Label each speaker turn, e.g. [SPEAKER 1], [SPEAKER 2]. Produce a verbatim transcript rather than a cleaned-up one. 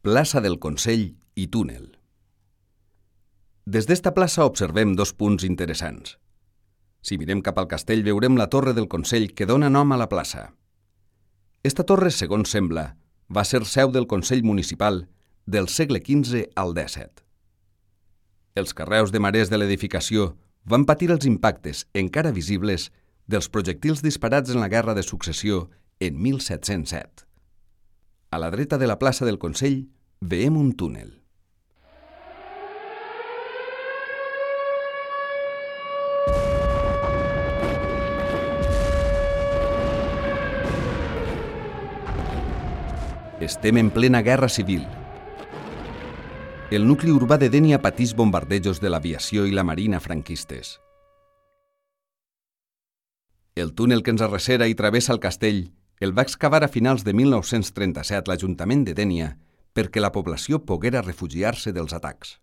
[SPEAKER 1] Plaça del Consell i túnel. Des d'esta plaça observem dos punts interessants. Si mirem cap al castell veurem la torre del Consell que dona nom a la plaça. Esta torre, segons sembla, va ser seu del Consell Municipal del segle quinze al dèsset. Els carreus de marès de l'edificació van patir els impactes, encara visibles, dels projectils disparats en la Guerra de Successió en mil set-cents set. A la dreta de la plaça del Consell veiem un túnel. Estem en plena guerra civil. El nucli urbà de Dénia pateix bombardejos de l'aviació i la marina franquistes. El túnel que ens arrecera i travessa el castell el va excavar a finals de mil nou-cents trenta-set l'Ajuntament de Dénia perquè la població poguera refugiar-se dels atacs.